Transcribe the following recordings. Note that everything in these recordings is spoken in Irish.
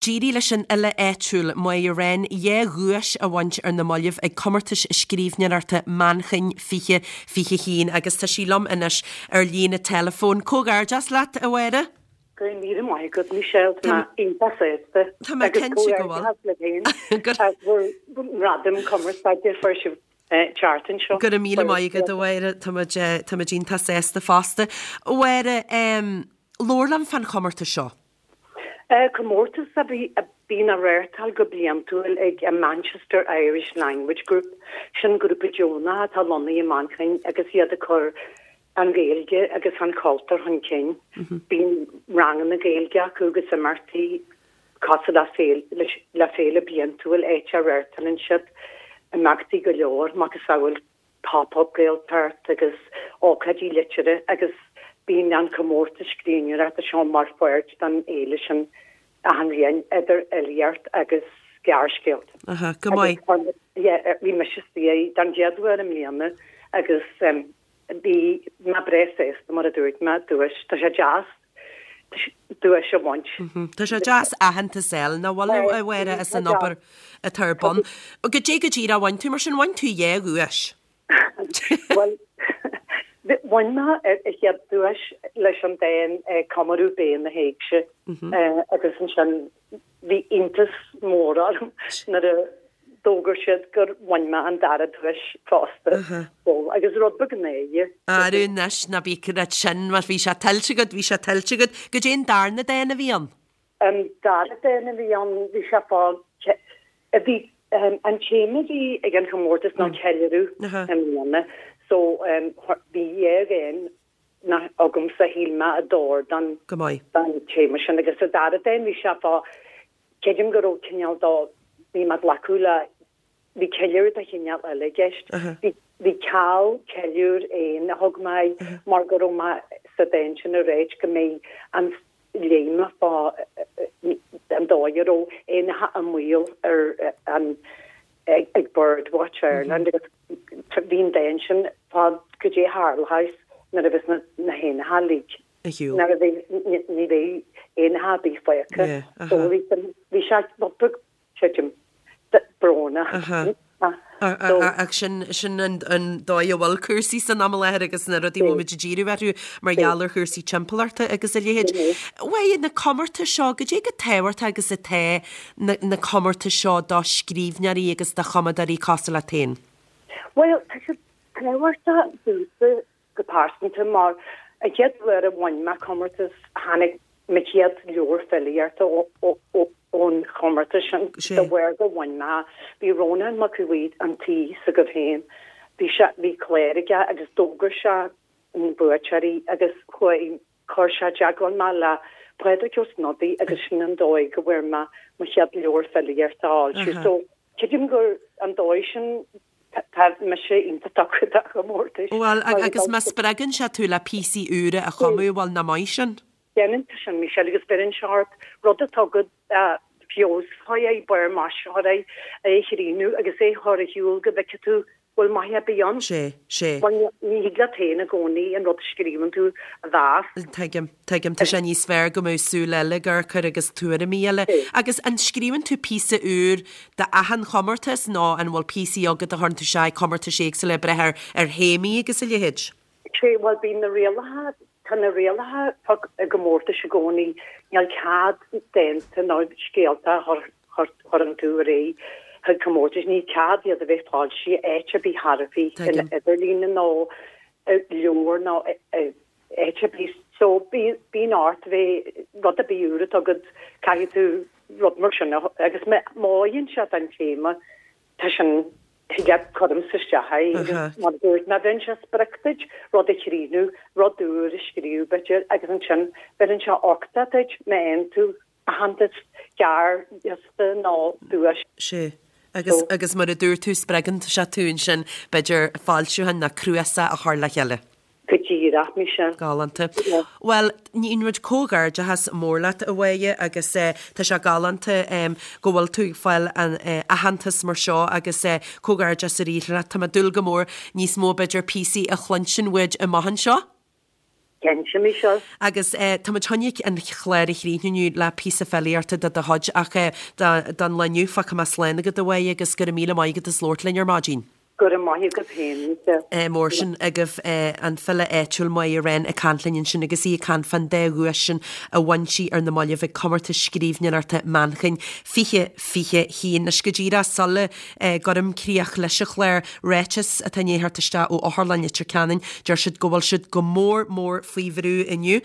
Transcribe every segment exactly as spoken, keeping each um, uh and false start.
D'éirigh leis an fhile áitiúil, Máire Wren, dhá dhuais a bhaint ar na mallaibh ag Comórtas Scríbhneoireachta Manchain fiche fiche haon agus tá sí liom anois ar líne teileafóin. Comhghairdeas leat, a Mháire! Go raibh míle maith agat, Michelle. Tá mé iontach sásta. Tá mé Agus cinnte go bhfuil. comhghairdeas libh féin Go as bhur ngradam cumarsáide fuair sibh an tseachtain seo. Go raibh míle maith agat, a Mháire. Tá muid tá muid iontach sásta fosta. A Mháire, labhair liom fán chomórtas seo. Comórtas a bhí a bhíonn á reáchtáil go bliantúil ag an Manchester Irish Language Group, sin grúpa deonach atá lonnaithe i Manchain agus iad ag cur an Ghaeilge agus an cultúr chun cinn. Bíonn ranganna Gaeilge acu agus imeachtaí cosúil le féile le féile bliantúil áit a reáchtálann siad imeachtaí go leor macasamhail pop-up Gaeltacht agus ócáidí liteartha agus bíonn an comórtas scríbhneoireachta seo mar pháirt den fhéile sin achan bhliain idir fhilíocht agus gearrscéalta. Aha, go maith. Agus yeah, bhí mise istigh don chéad uair i mbliana agus um, bhí mé breá sásta mar a dúirt mé duais tá sé deas duais a bhaint. Tá sé deas aitheantas a fháil nach bhfuil a Mháire as an obair atá ar bun. Goidé go díreach a bhain tú mar sin bhain tú dhá dhuais. Well bhain mé an chéad duais leis an dán Comóradh Bé na hÉigse agus ansin bhí iontas mór orm nuair a d'fhógair siad gur bhain mé an dara duais fosta. So, agus rud beag náire. Arú anois ná bí sin mar bhí sé tuillte agat, bhí sé tuillte agat, goidé an darna dán a bhí ann. An dara dán a bhí ann bhí sé fá bhí an téama bhí ag an chomórtas ná ceiliúradh i mbliana so um, bhí dhá dhán na agamsa shíl mé a d'oir don Go maith. don téama sin agus sa dara dán bhí sé fá creidim go raibh cineál dá bhí mé glacadh le bhí ceiliúradh de chineál eile i gceist. Bhí bhí ceal ceiliúr éan a thug mé mar go raibh mé sa dán sin ag ráit go mbeidh an léime fá an dóigh a raibh éanacha i mbaol ar an ag, ag Birdwatch Ireland agus bhí an dán sin fá goidé a tharlós nuair a bheas na, na héanacha uilig. A shiúl. Nuair a bhí ní bheidh éanacha ar bith fágtha. Yeah, aha. So bhí bhí sé creidim brónach. Aha. Ach sin sin an an dóigh a bhfuil cúrsaí san am i láthair agus na rudaí bhfuil muid ag díriú orthu mar gheall ar chúrsaí timpeallachta agus a leithéid. Uaidh na comórtais seo goidé chomh tábhachtach agus atá na, na comórtais seo do scríbhneoirí agus do chumadóirí cosúil leat féin. Well, tá sé tábhachtach domhsa go pearsanta mar an chéad uair a bhain mé comórtas tháinig mo chéad leabhar filíochta ón chomórtas sin Sé. de bharr go bhain mé bhí Rónán Mac Aodha Bhuí an tí s'agaibh féin bhí sé bhí clár aige agus d'fhógair sé na buaiteoirí agus chuaigh chuir sé i dteagmháil mé le Pádraig Ó Snodaigh agus sin an dóigh go bhfuair mé mo chéad leabhar filíochta a fhoilsiú. Aha. So creidim gur an dóigh sin tá mise iontach tugtha do chomórtais. Well agus má spreagann sé tú le píosaí úra a chumadh bhfuil nach maith sin. Déanann sin Michelle agus beireann sé ort rud atá go feabhas é bar maisitheoir é é chríonú agus é chur ar shiúl go bhfeicfidh tú bhfuil maith ar bith ann. Sé sé. Well, ní thig leat féin i gcónaí an rud a scríobhann tú a mheas. Tuigim, tuigim tá sé níos fearr go mbeadh súil eile ag cur agus tuairimí eile. Agus an scríobhann tú píosa úr d'achan chomórtas nó an bhfuil píosaí agat a chuireann tú isteach comórtais éagsúla ag brath ar ar théamaí agus a leithéid. Sé well bíonn na rialacha tá na rialacha i gcomórtais i gcónaí níl cead dánta nó scéalta a chuireann tú ar aghaidh chuig comórtais ní cead iad a bheith foilsithe áit ar bith thar a bith Tuigim. idirlíne nó leabhar nó áit ar bith so bíonn ort bheith rud ar bith úr atá agat caithfidh tú rud mar sin agus má oireann sé don téama tá sin thig cuirim isteach é Aha. mar dúirt mé bheireann sé sprioc duit rud a chríochnú rud úr a scríobh b'fhéidir agus ansin bheireann sé uchtach duit má fhaigheann tú aitheantas gearrliosta nó duais. Sé. Agus agus mar a dúirt tú spreagann sé tú ansin b'fhéidir foilseachán nó cnuasach a chur le chéile. Go díreach Michelle. Galánta. Yeah. Well, ní rud comhghairdeachas mór leat a Mháire agus eh, tá sé galánta um, go bhfuil tú ag fáil an eh, aitheantas mar seo agus eh, comhghairdeas arís leat Tá mé ag dúil go mór níos mó b'fhéidir píosaí a chluinstin uait amach anseo. Cinnte, Michelle. Agus tá muid chun an clár a chríochnú inniu le píosa filíochta de do chuid ach don lá inniu fágfaidh mé slán agat a Mháire agus go raibh míle maith agat as labhairt linn ar maidin. Go raibh maith agat féin, Michelle. Mór sin agaibh an file áitiúil Máire Wren ag caint linn ansin agus í ag caint fán dá dhuais sin a bhain sí ar na mallaibh ag Comórtas Scríbhneoireachta Manchain fiche fiche haon. Anois go díreach sula gcuirim críoch leis an chlár, ráiteas atá i ndiaidh theacht isteach ó Otharlann Leitir Ceanainn, deir siad go bhfuil siad go mór mór faoi bhrú inniu.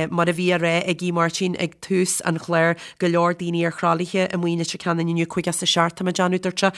Mar a bhí á rá ag Aodh Máirtín ag tús an chláir, go leor daoine ar thralaithe amuigh i Leitir Ceanainn inniu, cúig as a seacht tá mé ag déanamh, dúirt sé.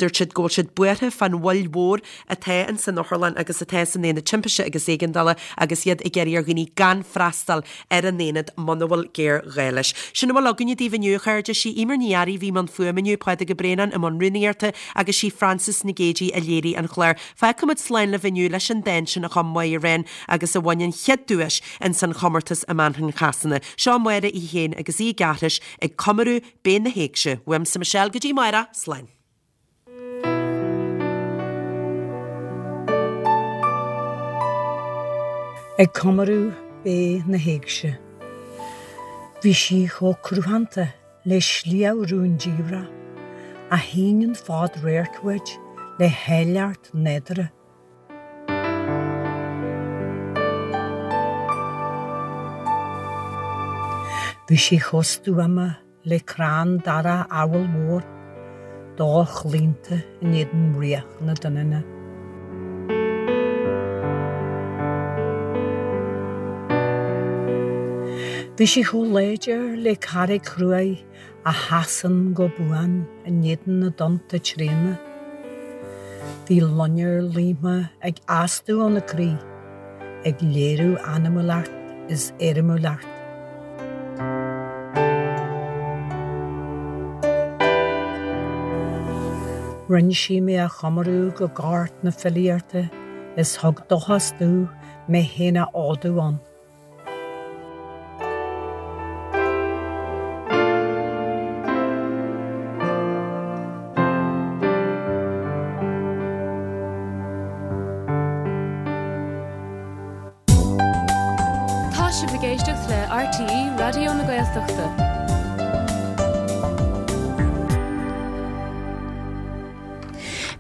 Dúirt siad go bhfuil siad buartha fán mhoill mhór atá ins an otharlann agus atá san aonad timpiste agus éigeandála agus iad ag iarraidh ar dhaoine gan freastal ar an aonad muna bhfuil géarghá leis. Sin a bhfuil againne daoibh inniu, a chairde. Sí Eimear Ní Fhearraigh a bhí i mbun fuaime inniu, Pádraig Ó Braonáin i mbun rúnaíochta agus sí Frances Nic Géadaigh a léirigh an clár. Fágfaimid slán libh inniu leis an dán sin a chum Máire Wren agus a bhain an chéad duais ins an chomórtas i Manchain Shasana. Seo Máire í féin agus í ag aithris ag comóradh Bé na hÉigse. Uaimse Michelle go dtí amárach, slán. Ag comóradh Bé na hÉigse. Bhí sí chomh cruthanta le sliabh rúndiamhrach, a shíneann fad radhairc uait le háilleacht nádúrtha. Bhí sí chomh stuama le crann darach abhaill mhór, do-chlaonta in éadan bhraoch na doininne. Bhí sí chomh láidir le carraig chruaidh a sheasann go buan in éadan na dtonnta tréana. Bhí loinnir líomtha ag astú óna croí, ag léiriú anamúlacht is éirimiúlacht. Rinne sí mé a chomóradh go gort na filíochta is thug dóchas domh mé féin a fhódú ann. Tá sibh ag éisteacht le RTÉ Raidió na Gaeltachta.